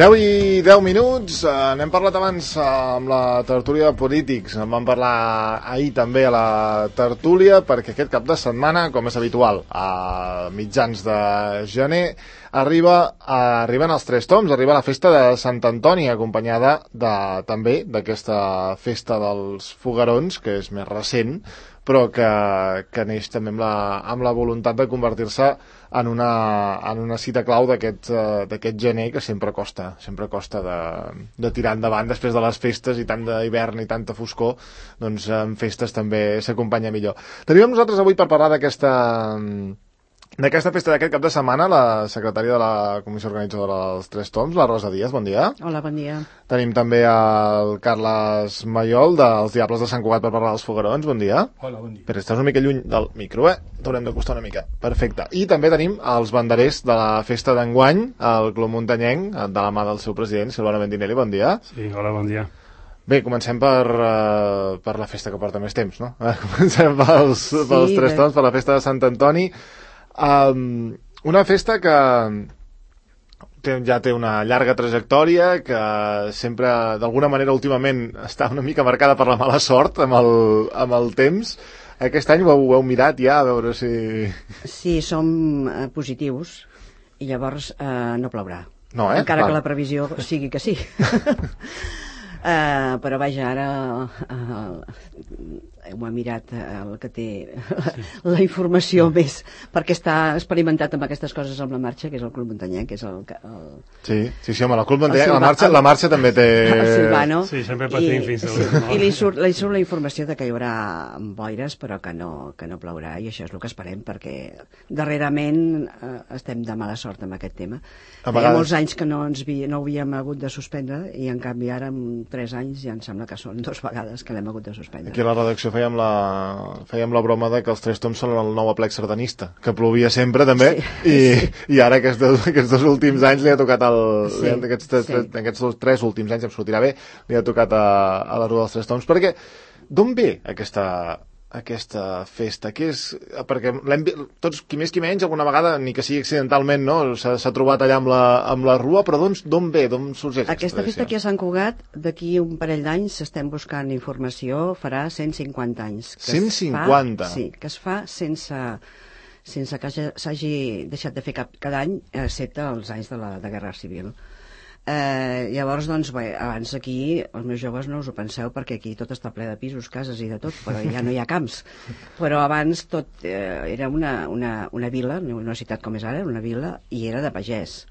10 i 10 minuts, n'hem parlat abans amb la tertúlia de polítics, en vam parlar ahir també a la tertúlia, perquè aquest cap de setmana, com és habitual, a mitjans de gener, arriben els Tres Toms, arriba la festa de Sant Antoni, acompanyada també d'aquesta festa dels Foguerons, que és més recent, però que neix també amb la voluntat de convertir-se en una cita clau d'aquest gener, que sempre costa de tirar endavant després de les festes i tant d'hivern i tanta foscor, doncs en festes també s'acompanya millor. Tenim nosaltres avui per parlar d'aquesta festa d'aquest cap de setmana la secretària de la Comissió Organitzadora dels Tres Toms, la Rosa Díaz, bon dia. Hola, bon dia. Tenim també el Carles Mayol, dels Diables de Sant Cugat, per parlar dels Foguerons, bon dia. Hola, bon dia. Però estàs una mica lluny del micro, t'haurem d'acostar una mica. Perfecte. I també tenim els banderers de la festa d'enguany, el Club Muntanyenc, de la mà del seu president, Silvano Mendinelli, bon dia. Sí, hola, bon dia. Bé, comencem per la festa que porta més temps, no? Comencem pels Tres Toms, per la festa de Sant Antoni. Una festa que ja té una llarga trajectòria, que sempre, d'alguna manera, últimament està una mica marcada per la mala sort amb el temps. Aquest any ho heu mirat ja, a veure si... Sí, som positius i llavors no plourà. No, encara que la previsió sigui que sí. Però vaja, ara ho ha mirat el que té la informació més, perquè està experimentat amb aquestes coses amb la marxa, que és el Club Muntanyenc, que és el... Sí, home, el Club Muntanyenc, la marxa també té... El Silvano. Sí, sempre patim fins a l'últim. I li surt la informació de que hi haurà boires, però que no plourà, i això és el que esperem, perquè darrerament estem de mala sort amb aquest tema. Hi ha molts anys que no havíem hagut de suspendre, i en canvi ara, en 3 anys, ja em sembla que són 2 vegades que l'hem hagut de suspendre. Aquí a la redacció fèiem la broma de que els Tres Toms són el nou aplec sardanista, que plovia sempre també, i ara aquests 2 últims anys li ha tocat aquests 3 últims anys, em sortirà bé, li ha tocat a la Rua dels Tres Toms, perquè d'on ve aquesta festa? Què és? Perquè tots, qui més qui menys, alguna vegada, ni que sigui accidentalment, no, s'ha trobat allà amb la Rua, però d'on ve? D'on sorgeix aquesta festa aquí a Sant Cugat? D'aquí un parell d'anys estem buscant informació, farà 150 anys. 150? Sí, que es fa sense que s'hagi deixat de fer cada any, excepte els anys de Guerra Civil. Llavors, doncs, bé, abans aquí els meus joves no us ho penseu, perquè aquí tot està ple de pisos, cases i de tot, però ja no hi ha camps. Però abans tot era una vila, no una ciutat com és ara, una vila, i era de pagès.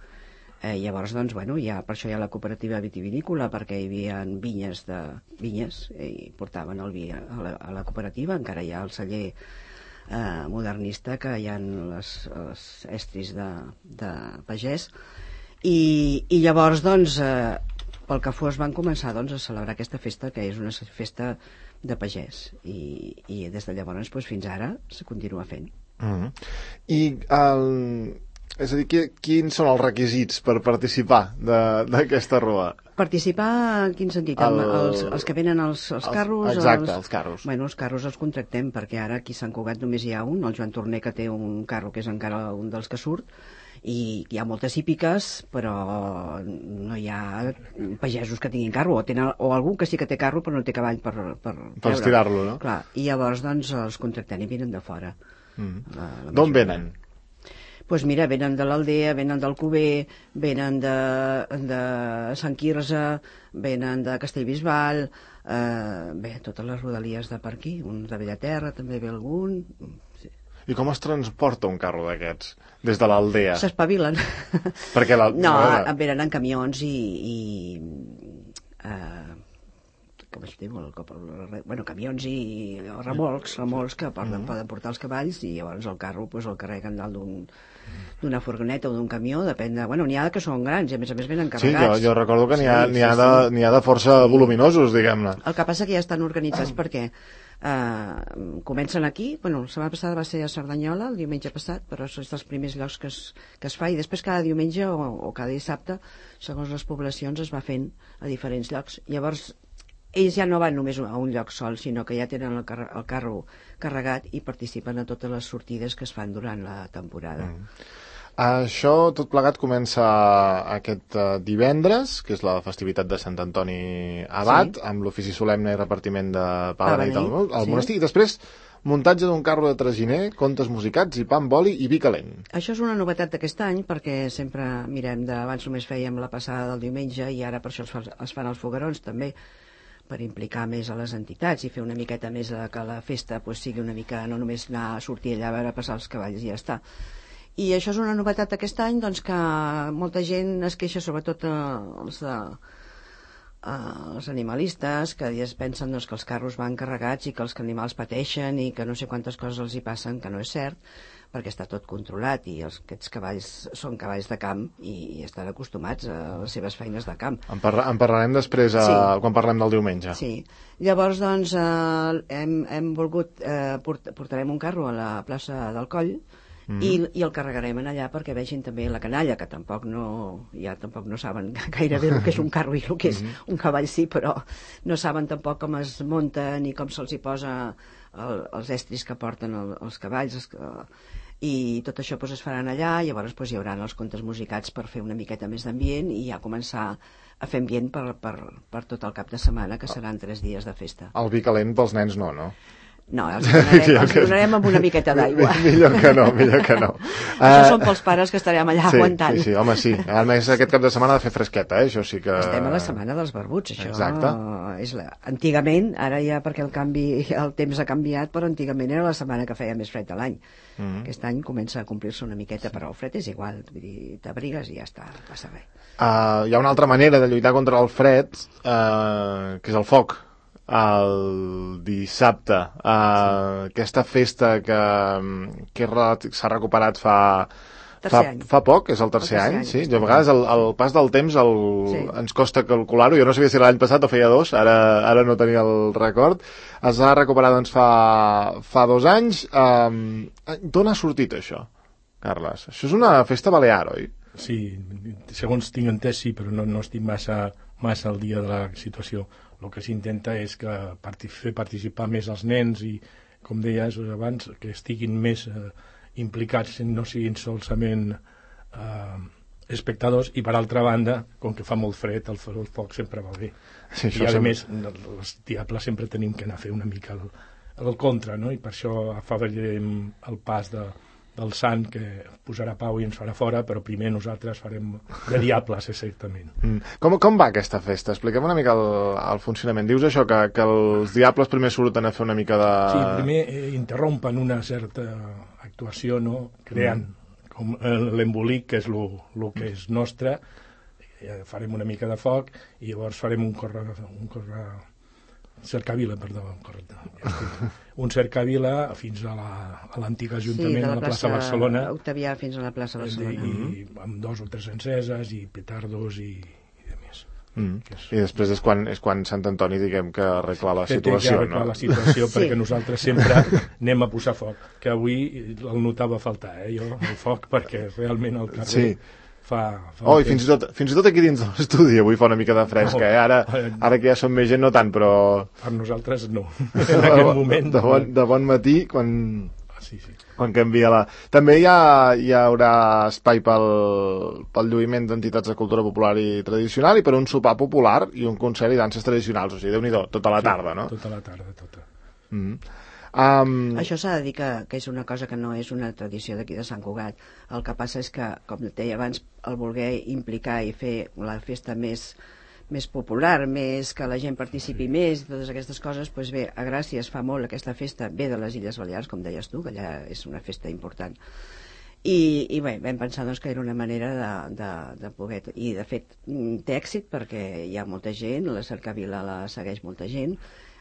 Llavors, doncs, bueno, per això hi ha la cooperativa vitivinícola, perquè hi havia vinyes i portaven el vi a la cooperativa. Encara hi ha el celler modernista, que hi ha les estris de pagès. I llavors, doncs, pel que fos, van començar a celebrar aquesta festa, que és una festa de pagès, i des de llavors fins ara se continua fent. I és a dir, quins són els requisits per participar d'aquesta rua? Participar en quin sentit? Els que venen els carros? Exacte, els carros. Bueno, els carros els contractem, perquè ara aquí a Sant Cugat només hi ha un, el Joan Torner, que té un carro que és encara un dels que surt, i hi ha moltes hípiques, però no hi ha pagesos que tinguin carro, o algú que sí que té carro però no té cavall per estirar-lo, no? Clar, i llavors doncs els contractem i venen de fora. D'on venen? Doncs mira, venen de l'Aldea, venen del Cuber, venen de Sant Quirze, venen de Castellbisbal, totes les rodalies de per aquí, uns de Bellaterra també ve algun. Sí. I com es transporta un carro d'aquests des de l'Aldea? S'espavilen. Perquè no, venen en camions i com es diu? Bueno, camions i remolcs que poden portar els cavalls, i llavors el carro el carreguen dalt d'una furgoneta o d'un camió, depèn de... Bueno, n'hi ha que són grans i a més venen carregats. Sí, jo recordo que n'hi ha de força voluminosos, diguem-ne. El que passa que ja estan organitzats perquè comencen aquí, bueno, la setmana passada va ser a Cerdanyola, el diumenge passat, però és dels primers llocs que es fa, i després cada diumenge o cada dissabte, segons les poblacions, es va fent a diferents llocs. Llavors, ells ja no van només a un lloc sol, sinó que ja tenen el carro carregat i participen a totes les sortides que es fan durant la temporada. Això, tot plegat, comença aquest divendres, que és la festivitat de Sant Antoni Abat, amb l'ofici solemne i repartiment de pa beneit al monestir, i després muntatge d'un carro de traginer, contes musicats i pa amb oli i vi calent. Això és una novetat d'aquest any, perquè sempre mirem abans només fèiem la passada del diumenge i ara per això es fan els foguerons també, per implicar més a les entitats i fer una miqueta més que la festa sigui una mica, no només anar a sortir allà a veure passar els cavalls i ja està. I això és una novetat aquest any, doncs, que molta gent es queixa, sobretot els animalistes, que es pensen doncs, que els carros van carregats i que els animals pateixen i que no sé quantes coses els hi passen, que no és cert, perquè està tot controlat i aquests cavalls són cavalls de camp i estan acostumats a les seves feines de camp. En parlarem després quan parlem del diumenge. Sí. Llavors, doncs, hem volgut... portarem un carro a la plaça del Coll i el carregarem allà perquè vegin també la canalla, que tampoc no saben gairebé el que és un carro i el que és un cavall, sí, però no saben tampoc com es munta ni com se'ls hi posa els estris que porten els cavalls, i tot això es faran allà. Llavors hi haurà els contes musicats per fer una miqueta més d'ambient i ja començar a fer ambient per tot el cap de setmana, que seran 3 dies de festa. El vi calent pels nens no? No, els donarem amb una miqueta d'aigua. Millor que no. Això són pels pares que estarem allà aguantant. Sí, home, sí. A més, aquest cap de setmana ha de fer fresqueta, això sí que... Estem a la setmana dels barbuts, això. Exacte. Antigament, ara ja perquè el temps ha canviat, però antigament era la setmana que feia més fred a l'any. Aquest any comença a complir-se una miqueta, però el fred és igual, t'abrigues i ja està, passa res. Hi ha una altra manera de lluitar contra el fred, que és el foc. El dissabte, aquesta festa que s'ha recuperat fa poc, és el tercer any, sí? A vegades el pas del temps ens costa calcular-ho. Jo no sabia si l'any passat o feia 2, ara no tenia el record. Es va recuperar doncs fa 2 anys. D'on ha sortit això, Carles? Això és una festa balear, oi? Sí, segons tinc entès sí, però no estic massa al dia de la situació. El que s'intenta és fer participar més els nens i, com deies abans, que estiguin més implicats, no siguin solament espectadors, i per altra banda, com que fa molt fred, el foc sempre va bé. Sí, i a més, els diables sempre tenim que anar a fer una mica el contra, no? I per això afavorirem el pas del sant, que posarà pau i ens farà fora, però primer nosaltres farem de diables, exactament. Com va aquesta festa? Expliquem una mica el funcionament. Dius això, que els diables primer surten a fer una mica de... Sí, primer interrompen una certa actuació, no? Creant com l'embolic, que és el que és nostre, farem una mica de foc i llavors farem un cercavila, perdó, correcte. Un cercavila fins a l'antic Ajuntament, a la plaça Barcelona. Octavià fins a la plaça Barcelona. I amb 2 o 3 enceses i petardos i de més. I després és quan Sant Antoni, diguem, que arregla la situació, no? La situació, perquè nosaltres sempre anem a posar foc, que avui el notava faltar, jo, el foc, perquè realment el carrer... i fins i tot aquí dins de l'estudi avui fa una mica de fresca, ara que ja som més gent no tant, però... Per nosaltres no, en aquest moment... De bon matí, quan canvia la... També hi haurà espai pel lluïment d'entitats de cultura popular i tradicional i per un sopar popular i un concert i danses tradicionals, o sigui, Déu-n'hi-do, tota la tarda, no? Tota la tarda, tota. Això s'ha de dir que és una cosa que no és una tradició d'aquí de Sant Cugat. El que passa és que, com deia abans, el voler implicar i fer la festa més popular, més que la gent participi més, totes aquestes coses, doncs bé, a Gràcia es fa molt aquesta festa, ve de les Illes Balears, com deies tu, que allà és una festa important. I bé, vam pensar doncs, que era una manera de poder... I de fet té èxit perquè hi ha molta gent, la cercavila la segueix molta gent,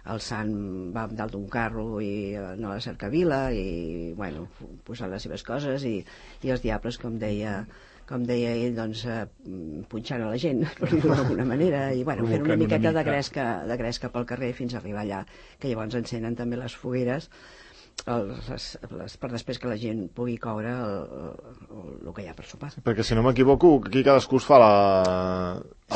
el sant va dalt d'un carro i no a la cercavila i, bueno, posant les seves coses i els diables, com deia ell, doncs punxant a la gent, per dir-ho d'alguna manera, i bueno, fent una miqueta de gresca pel carrer fins a arribar allà, que llavors encenen també les fogueres per després que la gent pugui coure el que hi ha per sopar. Perquè si no m'equivoco, aquí cadascú es fa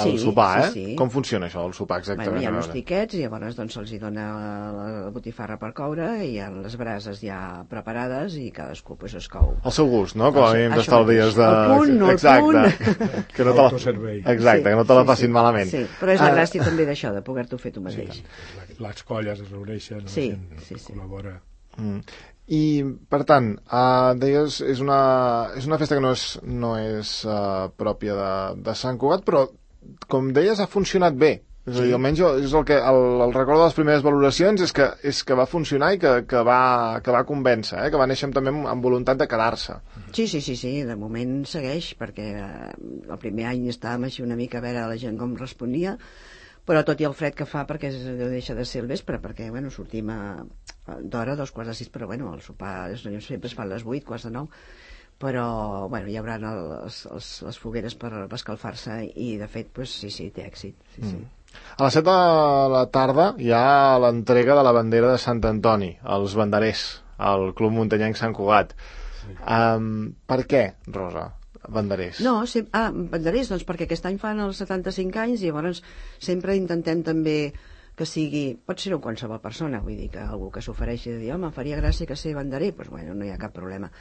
el sopar, Sí. Com funciona això, el sopar exactament? Hi ha uns tiquets i llavors doncs se'ls dona la botifarra per coure i hi ha les brases ja preparades i cadascú pues, es cou. Al seu gust, no? Com a mínim t'estalvies de... El punt, no el punt. Que no que no te la facin malament. Sí, però és la gràcia també d'això, de poder-t'ho fer tu mateix. Les colles es reuneixen, sí. col·labora. I, per tant, deies, és una festa que no és pròpia de Sant Cugat, però, com deies, ha funcionat bé. És a dir, almenys és el que el record de les primeres valoracions és que va funcionar i que va convèncer, que va néixer també amb voluntat de quedar-se. Sí, de moment segueix, perquè el primer any estàvem així una mica a veure la gent com responia, però tot i el fred que fa, perquè deixa de ser el vespre, perquè sortim d'hora, 2:45, però el sopar sempre es fa a les 8, 8:45, però hi haurà les fogueres per escalfar-se i de fet sí, té èxit. Sí. A les 7 de la tarda hi ha l'entrega de la bandera de Sant Antoni, als banderers, al Club Muntanyenc Sant Cugat. Per què, Rosa? Banderers. Banderers, doncs perquè aquest any fan els 75 anys i llavors sempre intentem també que sigui, pot ser qualsevol persona, vull dir que algú que s'ofereixi de dir, home, faria gràcia que ser banderer, doncs no hi ha cap problema.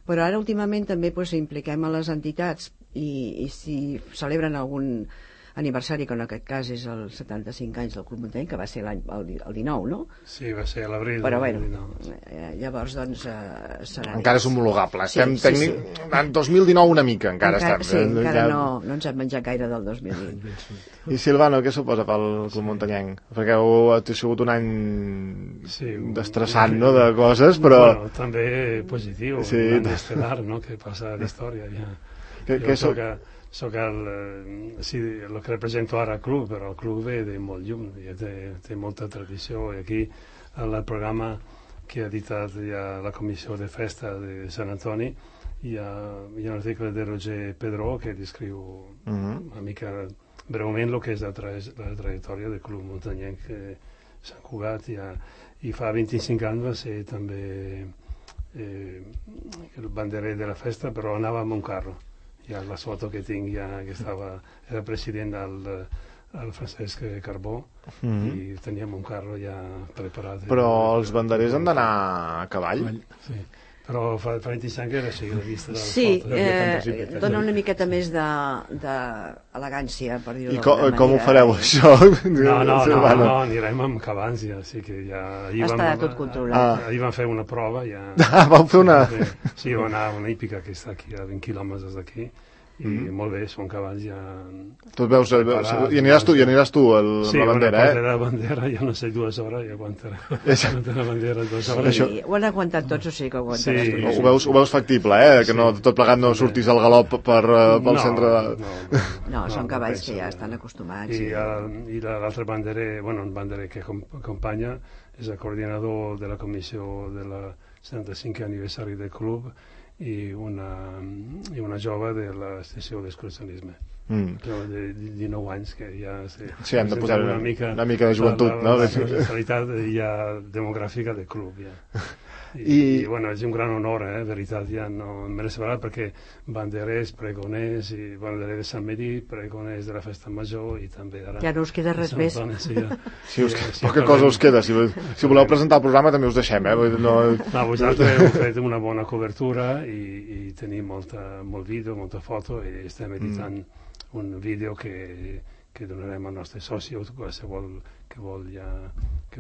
Però ara últimament també impliquem a les entitats i si celebren algun aniversari, que en aquest cas és els 75 anys del Club Muntanyenc, que va ser el 19, no? Sí, va ser a l'abril del 19. Llavors, doncs, serà... Encara és homologable. Estem en 2019 una mica, encara estem. Sí, encara no ens hem menjat gaire del 2020. I Silvano, què suposa pel Club Muntanyenc? Perquè ha sigut un any destressant, no?, de coses, però... Bueno, també positiu, un any estel·lar, no?, que passa a la història, ja. Soc el que represento ara al club, però el club ve de molt lluny, té molta tradició, i aquí el programa que ha editat ja la comissió de festa de Sant Antoni hi ha un article de Roger Pedró que descriu una mica breument el que és la trajectòria del Club Muntanyenc Sant Cugat, i fa 25 anys va ser també el banderer de la festa, però anava amb un carro. Ja la foto que tinc que era president el Francesc Carbó i teníem un carro ja preparat. Però els banderers han d'anar a cavall? Sí, però fa 25 anys era així, la vista de les fotos. Dona una miqueta més d'elegància, per dir-ho d'alguna manera. I com ho fareu, això? No, anirem amb cavalls, ja, sí que ja... Està tot controlat. Ahir vam fer una prova, ja... Vau fer una... Sí, vam anar a una hípica que està aquí, a 20 quilòmetres d'aquí, i molt bé, són cavalls ja... Tu et veus, i aniràs tu a la bandera, Sí, la bandera, jo no sé, 2 hores, i aguantarà la bandera 2 hores. Sí, ho han aguantat tots, o sigui que ho aguantaràs tots. Ho veus factible, que no tot plegat no sortís al galop pel centre de... No, són cavalls que ja estan acostumats. I l'altre banderer, un banderer que acompanya és el coordinador de la comissió de la 75è aniversari del club i una jove de l'estació d'excursionisme de 19 anys que ja hem de posar una mica de joventut, no? La realitat ja demogràfica del club i és un gran honor, veritat, ja no me l'he separat perquè banderers, pregoners i banderer de Sant Medir, pregoners de la festa major i també ara... Ja no us queda res més. Poca cosa us queda, si voleu presentar el programa també us deixem, vosaltres heu fet una bona cobertura i tenim molt vídeo, molta foto i estem editant un vídeo que donarem al nostre soci, qualsevol que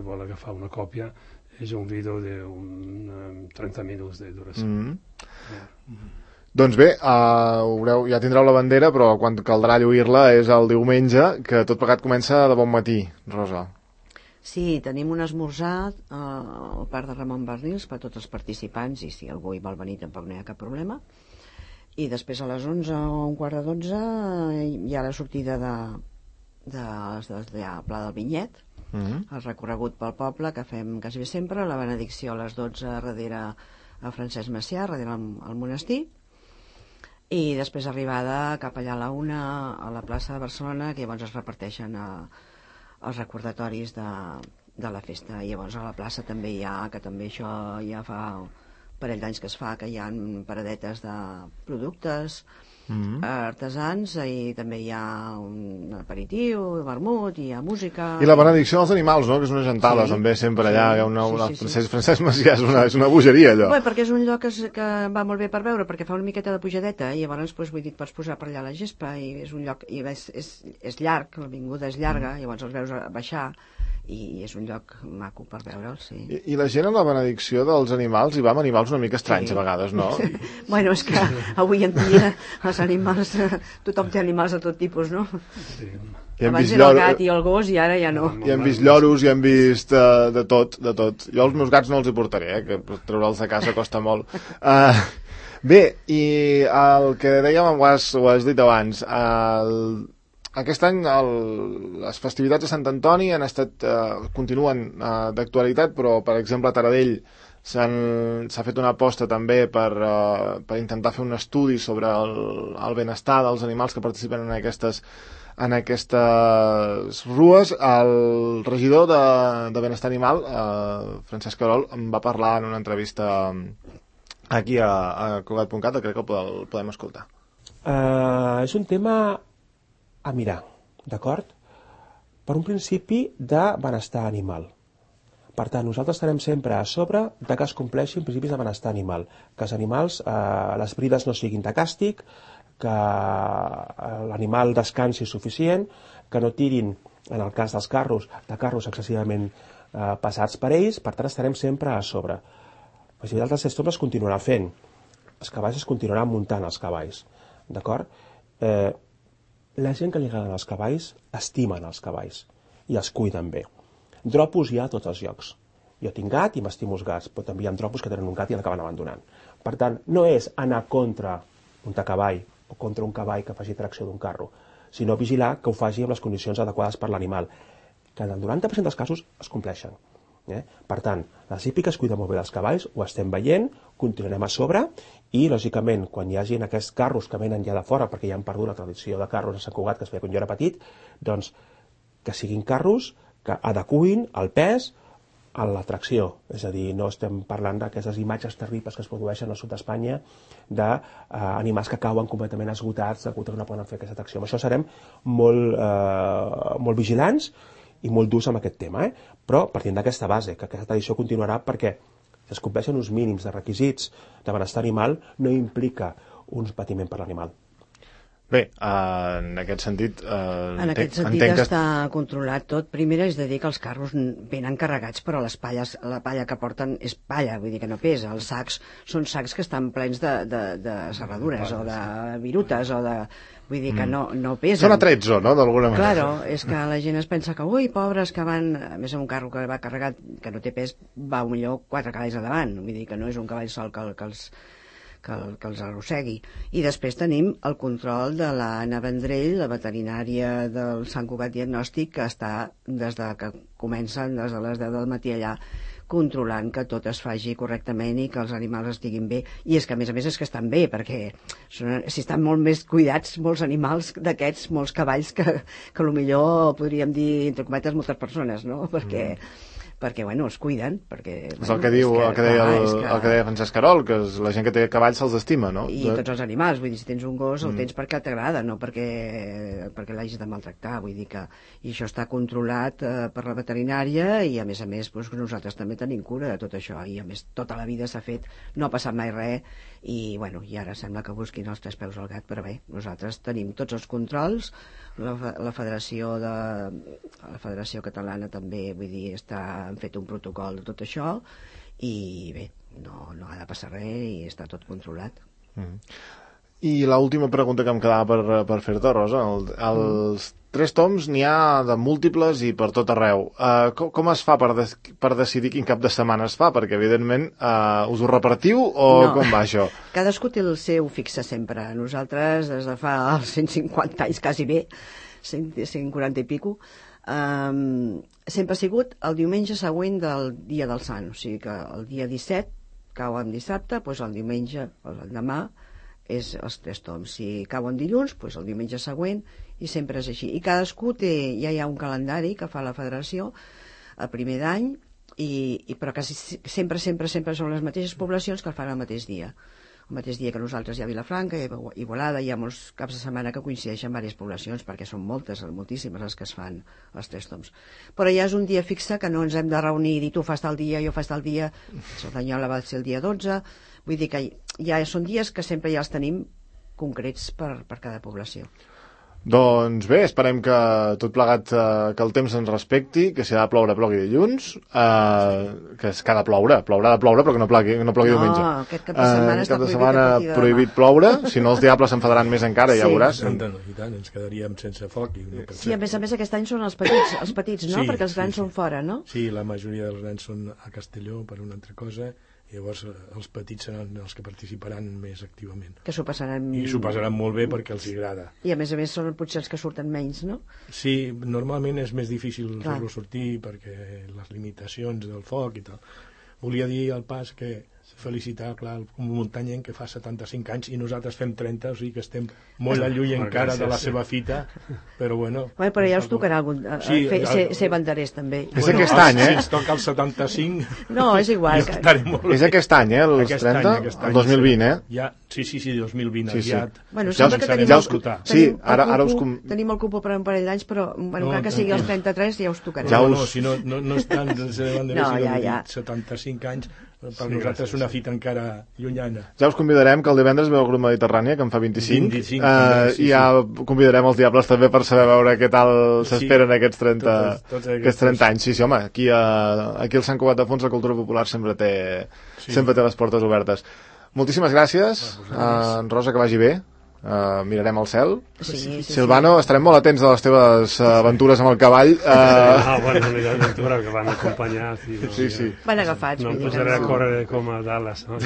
vol agafar una còpia. És un vídeo de 30 minuts de duració. Doncs bé, ja tindreu la bandera, però quan caldrà lluir-la és el diumenge, que tot plegat comença de bon matí, Rosa. Sí, tenim un esmorzar al parc de Ramon Barnils per a tots els participants, i si algú hi vol venir tampoc no hi ha cap problema. I després a les 11 o 11:45 hi ha la sortida de Pla del Vinyet, el recorregut pel poble que fem quasi bé sempre, la benedicció a les 12 darrere a Francesc Macià, darrere al monestir, i després arribada cap allà a la 1 a la plaça de Barcelona, que llavors es reparteixen els recordatoris de la festa. I llavors a la plaça també hi ha, que també això ja fa un parell d'anys que es fa, que hi ha paradetes de productes artesans, i també hi ha un aperitiu, vermut, hi ha música... I la benedicció dels animals, no?, que és una gentada, també, sempre allà, hi ha Francesc Macià, és una bogeria, allò. Bé, perquè és un lloc que va molt bé per veure, perquè fa una miqueta de pujadeta, i llavors, vull dir, pots posar per allà la gespa, i és un lloc, i és llarg, l'avinguda és llarga, llavors els veus baixar, i és un lloc maco per veure'l, sí. I la gent a la benedicció dels animals hi va amb animals una mica estranys, a vegades, no? Bueno, és que avui en dia els animals, tothom té animals de tot tipus, no? Sí. Abans era el gat i el gos i ara ja no. I hem vist lloros, i hem vist de tot, de tot. Jo els meus gats no els hi portaré, que treure'ls de casa costa molt. Bé, i el que dèiem, ho has dit abans, aquest any les festivitats de Sant Antoni han estat, continuen d'actualitat, però per exemple a Taradell s'ha fet una aposta també per intentar fer un estudi sobre el benestar dels animals que participen en aquestes rues. El regidor de Benestar Animal, Francesc Querol, em va parlar en una entrevista aquí a Cugat.cat, crec que el podem escoltar. És un tema a mirar, d'acord? Per un principi de benestar animal. Per tant, nosaltres estarem sempre a sobre de que es compleixin principis de benestar animal, que els animals, les brides no siguin de càstig, que l'animal descansi suficient, que no tirin, en el cas dels carros, de carros excessivament passats per ells. Per tant, estarem sempre a sobre. La festivitat dels 6 tombs es continuarà fent. Els cavalls es continuaran muntant, els cavalls. D'acord? La gent que li agraden els cavalls estimen els cavalls i els cuiden bé. Dropos hi ha a tots els llocs. Jo tinc gat i m'estimo els gats, però també hi ha dropos que tenen un gat i l'acaben abandonant. Per tant, no és anar contra un cavall o contra un cavall que faci tracció d'un carro, sinó vigilar que ho faci amb les condicions adequades per l'animal, que en el 90% dels casos es compleixen. Per tant, les hípiques cuiden molt bé dels cavalls, ho estem veient, continuarem a sobre, i, lògicament, quan hi hagin aquests carros que venen ja de fora, perquè ja han perdut la tradició de carros a Sant Cugat, que es feia quan jo era petit, doncs que siguin carros que adecuïn el pes a l'atracció. És a dir, no estem parlant d'aquestes imatges terribles que es produeixen al sud d'Espanya d'animals que cauen completament esgotats que no poden fer aquesta atracció. Amb això serem molt vigilants i molt durs amb aquest tema, però partint d'aquesta base, que aquesta tradició continuarà perquè si es compleixen uns mínims de requisits de benestar animal no implica un patiment per l'animal. Bé, en aquest sentit... En aquest sentit està controlat tot. Primer és de dir que els carros venen carregats, però la palla que porten és palla, vull dir que no pesa. Els sacs són sacs que estan plens de serradures o de virutes o de... Vull dir que no pesen. Són atrezzo, no?, d'alguna manera. Claro, és que la gent es pensa que, ui, pobres, que van... A més, un carro que va carregat, que no té pes, va millor 4 cavalls a davant. Vull dir que no és un cavall sol que els arrossegui. I després tenim el control de l'Anna Vendrell, la veterinària del Sant Cugat Diagnòstic, que està des de que comencen, des de les 10 del matí allà, controlant que tot es faci correctament i que els animals estiguin bé. I és que, a més és que estan bé, perquè si estan molt més cuidats molts animals d'aquests, molts cavalls, que potser podríem dir, entre cometes, moltes persones, no? Perquè bueno, es cuiden, perquè... És el que deia Francesc Querol, que la gent que té cavalls se'ls estima, no? I tots els animals, vull dir, si tens un gos el tens perquè t'agrada, no perquè l'hagis de maltractar, vull dir que... I això està controlat per la veterinària i a més doncs, nosaltres també tenim cura de tot això i a més tota la vida s'ha fet, no ha passat mai res i bueno, i ara sembla que busquin els 3 peus al gat, però bé, nosaltres tenim tots els controls, la Federació Catalana també, vull dir, han fet un protocol de tot això i bé, no ha de passar res i està tot controlat. I l'última pregunta que em quedava per fer-te, Rosa, els 3 toms n'hi ha de múltiples i per tot arreu. Com es fa per decidir quin cap de setmana es fa? Perquè, evidentment, us ho repartiu o com va això? Cadascú té el seu fixe sempre. Nosaltres, des de fa 150 anys, quasi bé, 140 i pico, sempre ha sigut el diumenge següent del dia del Sant. O sigui que el dia 17 cau en dissabte, doncs el diumenge, el demà, és els 3 toms. Si cau en dilluns, doncs el diumenge següent, i sempre és així. I cadascú ja hi ha un calendari que fa la federació el primer d'any, però quasi sempre són les mateixes poblacions que el fan el mateix dia. El mateix dia que nosaltres hi ha Vilafranca, hi ha Igualada, hi ha molts caps de setmana que coincideixen en diverses poblacions, perquè són moltíssimes les que es fan els 3 tombs. Però ja és un dia fixe que no ens hem de reunir i dir tu fas tal dia, jo fas tal dia. Cerdanyola va ser el dia 12, vull dir que ja són dies que sempre ja els tenim concrets per cada població. Doncs bé, esperem que tot plegat, que el temps ens respecti, que si ha de ploure, plogui dilluns, que ha de ploure, haurà de ploure, però que no plogui diumenge. No, aquest cap de setmana està prohibit ploure, si no els diables s'enfadaran més encara, ja veuràs. I tant, ens quedaríem sense foc. Sí, a més aquest any són els petits, no? Perquè els grans són fora, no? Sí, la majoria dels grans són a Castelló per una altra cosa, llavors els petits seran els que participaran més activament. Que s'ho passaran... I s'ho passaran molt bé perquè els agrada. I a més són potser els que surten menys, no? Sí, normalment és més difícil fer-lo sortir perquè les limitacions del foc i tal. Volia dir al pas que felicitar, clar, un muntanyenc que fa 75 anys i nosaltres fem 30, o sigui que estem molt lluny encara de la seva fita, però bueno... Però ja us tocarà ser banderers, també. És aquest any, Si ens toca el 75... No, és igual. És aquest any, els 30? El 2020, Ja, sí, 2020, aviat. Bueno, sembla que tenim el cupo per un parell d'anys, però encara que sigui els 33 ja us tocarà. No, si no és tant de ser banderers, 75 anys, per nosaltres és una fita encara llunyana. Ja us convidarem, que el divendres veu el grup Mediterrània, que en fa 25 i ja convidarem els diables també per saber veure què tal s'esperen aquests 30 anys. Sí, home, aquí al Sant Cugat de Fons la cultura popular sempre té les portes obertes. Moltíssimes gràcies, Rosa, que vagi bé. Mirarem al cel. Silvano, estarem molt atents a les teves aventures amb el cavall. Bueno, l'aventura que van acompanyar. Sí. Van agafats. No em posaré a córrer com a Dallas. A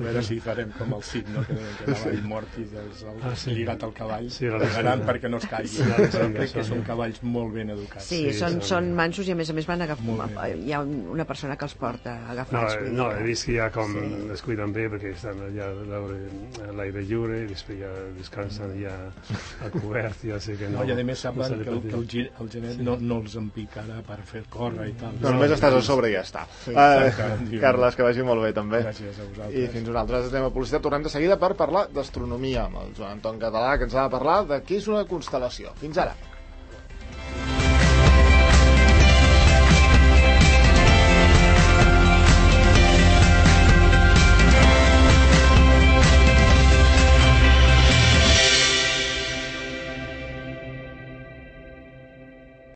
veure si farem com el Cid, no? Que cavall mort i lligat al cavall. Lligaran perquè no es caigui. Crec que són cavalls molt ben educats. Sí, són mansos i a més van agafar. Hi ha una persona que els porta agafats. No, he vist que ja com es cuiden bé perquè estan allà a l'aire lliure i després ja descansen ja a cobert, ja sé que no. I a més saben que el genet no els empicarà per fer córrer i tal. Només estàs a sobre i ja està. Carles, que vagi molt bé també. Gràcies a vosaltres. I fins nosaltres anem a publicitat, tornem de seguida per parlar d'astronomia amb el Joan Anton Català, que ens ha de parlar de què és una constel·lació. Fins ara.